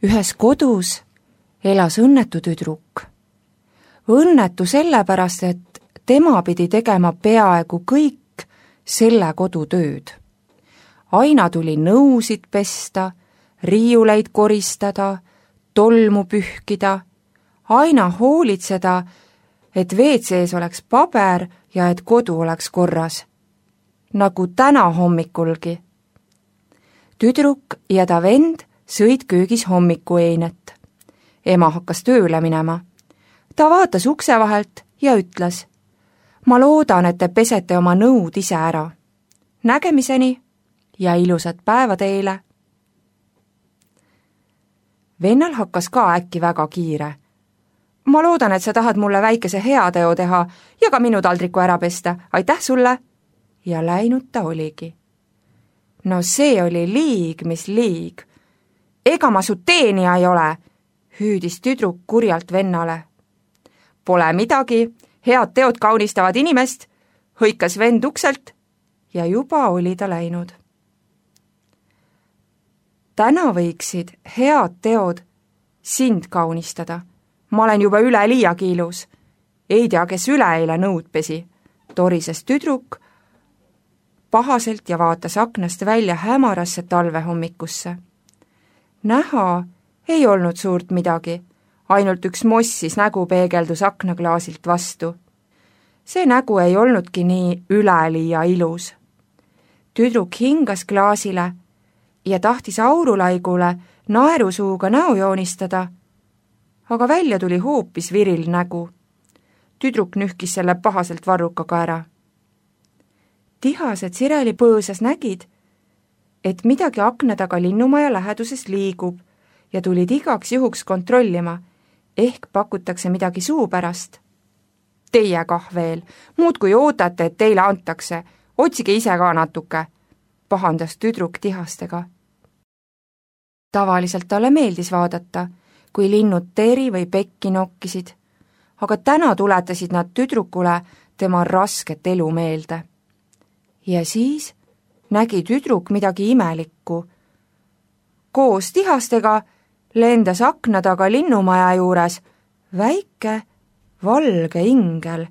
Ühes kodus elas õnnetu tüdruk. Õnnetu sellepärast, et tema pidi tegema peaaegu kõik selle kodu tööd. Aina tuli nõusid pesta, riiuleid koristada, tolmu pühkida, aina hoolitseda, et WC-s oleks paber ja et kodu oleks korras. Nagu täna hommikulgi. Tüdruk ja ta vend sõid köögis hommikueinet. Ema hakkas tööle minema. Ta vaatas ukse vahelt ja ütles: "Ma loodan, et te pesete oma nõud ise ära. Nägemiseni ja ilusat päeva teile." Vennal hakkas ka äkki väga kiire. "Ma loodan, et sa tahad mulle väikese heateo teha ja ka minu taldriku ära pesta. Aitäh sulle!" Ja läinud ta oligi. "No see oli liig, mis liig. Ega ma su teenija ei ole," hüüdis tüdruk kurjalt vennale. "Pole midagi, head teod kaunistavad inimest," hõikas vend ukselt ja juba oli ta läinud. Täna võiksid head teod sind kaunistada. Ma olen juba üleliiagi ilus. Ei tea, kes üleeile nõud pesi, torises tüdruk pahaselt ja vaatas aknast välja hämarasse talvehommikusse. Näha ei olnud suurt midagi, ainult üks mossis nägu peegeldus aknaklaasilt vastu. See nägu ei olnudki nii üleliia ilus. Tüdruk hingas klaasile ja tahtis aurulaigule naerusuuga näo joonistada, aga välja tuli hoopis viril nägu. Tüdruk nühkis selle pahaselt varrukaga ära. Tihased Sireli põõsas nägid, et midagi akna taga linnumaja läheduses liigub ja tulid igaks juhuks kontrollima, ehk pakutakse midagi suu pärast. "Teie kah veel, muudkui ootate, et teile antakse, otsige ise ka natuke," pahandas tüdruk tihastega. Tavaliselt talle meeldis vaadata, kui linnud teri või pekki nokkisid, aga täna tuletasid nad tüdrukule tema rasket elu meelde. Ja siis nägi tüdruk midagi imelikku. Koos tihastega lendas akna taga linnumaja juures väike valge ingel.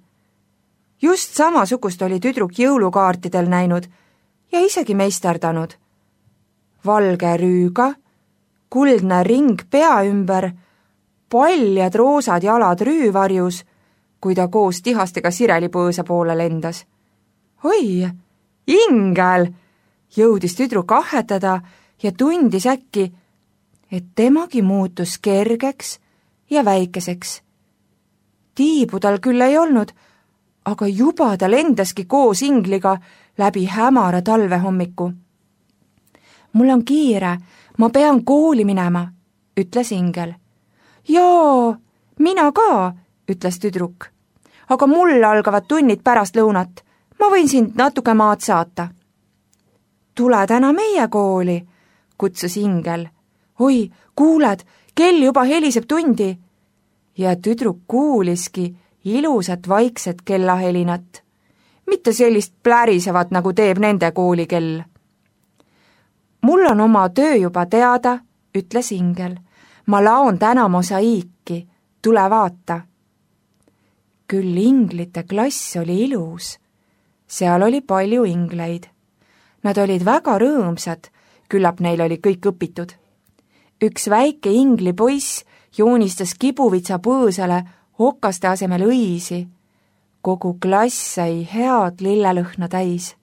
Just samasugust oli tüdruk jõulukaartidel näinud ja isegi meisterdanud. Valge rüüga, kuldne ring pea ümber, paljad roosad jalad rüüvarjus, kui ta koos tihastega Sireli põõsa poole lendas. "Oi, ingel!" jõudis tüdruk ahhetada ja tundis äkki, et temagi muutus kergeks ja väikeseks. Tiibu tal küll ei olnud, aga juba ta lendaski koos ingliga läbi hämara talvehommiku. "Mul on kiire, ma pean kooli minema," ütles ingel. "Jaa, mina ka," ütles tüdruk. "Aga mul algavad tunnid pärast lõunat, ma võin sind natuke maad saata." "Tule täna meie kooli," kutsus ingel. "Oi, kuuled, kell juba heliseb tundi." Ja tüdruk kuuliski ilusat vaikset kellahelinat, mitte sellist plärisevat, nagu teeb nende koolikell. "Mul on oma töö juba teada," ütles ingel. "Ma laon täna mosaiiki, tule vaata." Küll inglite klass oli ilus. Seal oli palju ingleid. Nad olid väga rõõmsad, küllap neil oli kõik õpitud. Üks väike ingli poiss joonistas kibuvitsa põõsale okaste asemel õisi. Kogu klass sai head lillelõhna täis.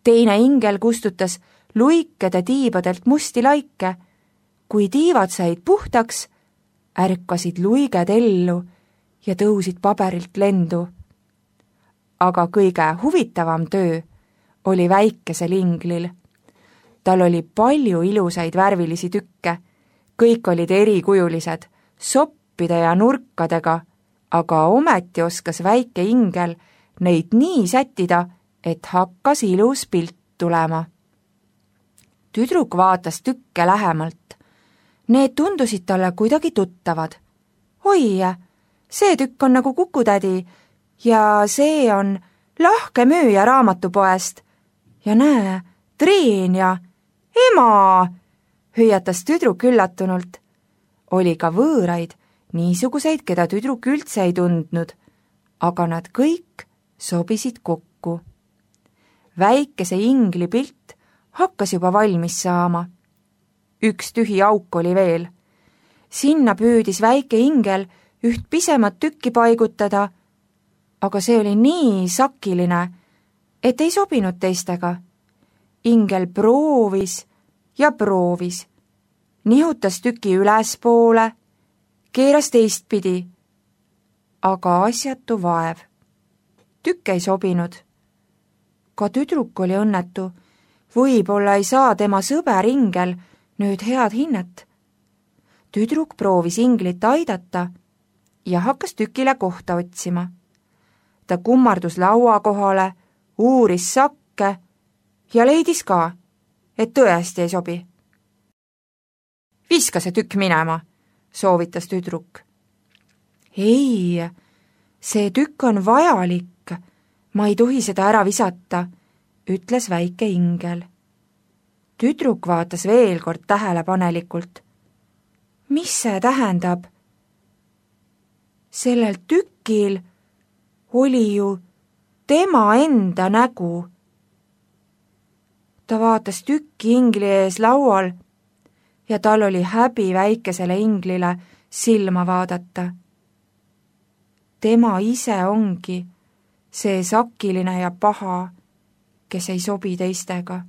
Teine ingel kustutas luikede tiibadelt musti laike. Kui tiivad said puhtaks, ärkasid luiged ellu ja tõusid paberilt lendu. Aga kõige huvitavam töö oli väikesel inglil. Tal oli palju ilusaid värvilisi tükke, kõik olid erikujulised, soppide ja nurkadega, aga ometi oskas väike ingel neid nii sättida, et hakkas ilus pilt tulema. Tüdruk vaatas tükke lähemalt. Need tundusid talle kuidagi tuttavad. "Oi, see tükk on nagu Kukutädi ja see on Lahke müüja raamatupoest. Ja näe, Triin ja ema," hüüatas tüdruk üllatunult. oli ka võõraid, niisuguseid, keda tüdruk üldse ei tundnud, aga nad kõik sobisid kokku. Väikese ingli pilt hakkas juba valmis saama. Üks tühi auk oli veel. Sinna püüdis väike ingel üht pisemat tükki paigutada, aga see oli nii sakiline, et ei sobinud teistega. Ingel proovis ja proovis, nihutas tüki ülespoole, keeras teistpidi, aga asjatu vaev. Tükk ei sobinud. Ka tüdruk oli õnnetu, võib-olla ei saa tema sõber ingel nüüd head hinnet. Tüdruk proovis inglit aidata ja hakkas tükile kohta otsima. Ta kummardus laua kohale, uuris sakke ja leidis ka, et tõesti ei sobi. Viska see tükk minema, soovitas tüdruk. Ei, see tükk on vajalik, ma ei tohi seda ära visata, ütles väike ingel. Tüdruk vaatas veel kord tähelepanelikult. Mis see tähendab? Sellel tükil oli ju tema enda nägu. Ta vaatas tükki ingli ees laual ja tal oli häbi väikesele inglile silma vaadata. Tema ise ongi see sakiline ja paha, kes ei sobi teistega.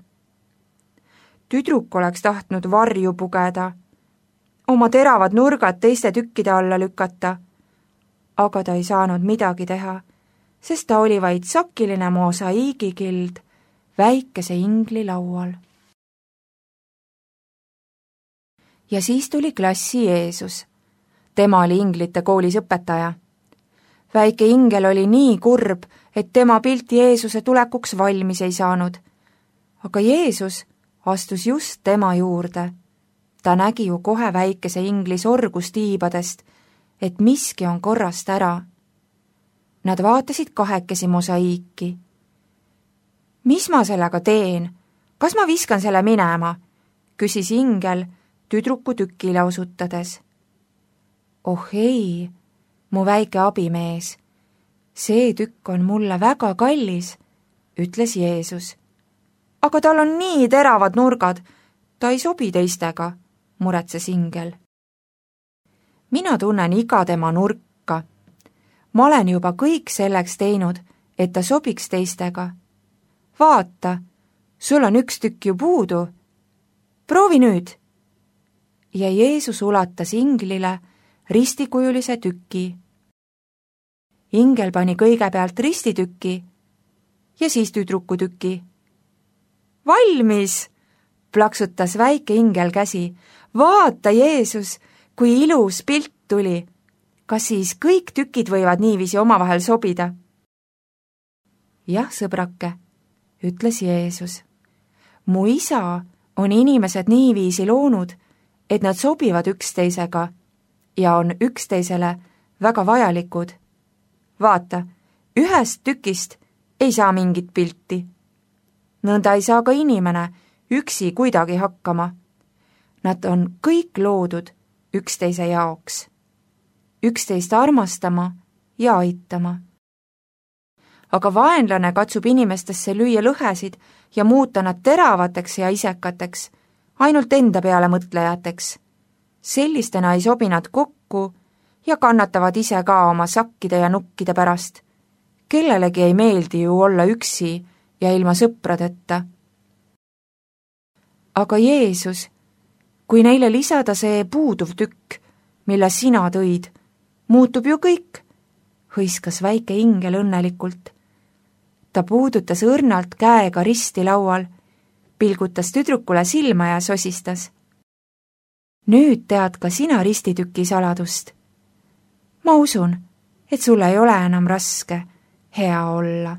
Tüdruk oleks tahtnud varju pugeda, oma teravad nurgad teiste tükkide alla lükata, aga ta ei saanud midagi teha, sest ta oli vaid sakiline mosaiigikild väikese ingli laual. Ja siis tuli klassi Jeesus. Tema oli inglite koolis õpetaja. Väike ingel oli nii kurb, et tema pilt Jeesuse tulekuks valmis ei saanud. Aga Jeesus astus just tema juurde. Ta nägi ju kohe väikese ingli sorgustiibadest, et miski on korrast ära. Nad vaatasid kahekesi mosaiiki. Mis ma sellega teen? Kas ma viskan selle minema? Küsis ingel tüdruku tükile osutades. Oh ei, mu väike abimees, see tükk on mulle väga kallis, ütles Jeesus. Aga tal on nii teravad nurgad, ta ei sobi teistega, muretses ingel. Mina tunnen iga tema nurka. Ma olen juba kõik selleks teinud, et ta sobiks teistega. Vaata, sul on üks tükk ju puudu. Proovi nüüd. Ja Jeesus ulatas inglile ristikujulise tüki. Ingel pani kõigepealt ristituki ja siis tüdruku tüki. Valmis! Plaksutas väike ingel käsi. Vaata, Jeesus, kui ilus pilt tuli. Kas siis kõik tükid võivad niiviisi omavahel sobida? Jah, sõbrake, ütles Jeesus. Mu isa on inimesed niiviisi loonud, et nad sobivad üksteisega ja on üksteisele väga vajalikud. Vaata, ühest tükist ei saa mingit pilti. Nõnda ei saa ka inimene üksi kuidagi hakkama. Nad on kõik loodud üksteise jaoks. Üksteist armastama ja aitama. Aga vaenlane katsub inimestesse lüüa lõhesid ja muuta nad teravateks ja isekateks, ainult enda peale mõtlejateks. Sellistena ei sobi nad kokku ja kannatavad ise ka oma sakkide ja nukkide pärast. Kellelegi ei meeldi ju olla üksi ja ilma sõpradeta. Aga Jeesus, kui neile lisada see puuduv tükk, mille sina tõid, muutub ju kõik, hõiskas väike ingel õnnelikult. Ta puudutas õrnalt käega risti laual, pilgutas tüdrukule silma ja sosistas. Nüüd tead ka sina ristituki saladust. Ma usun, et sul ei ole enam raske hea olla.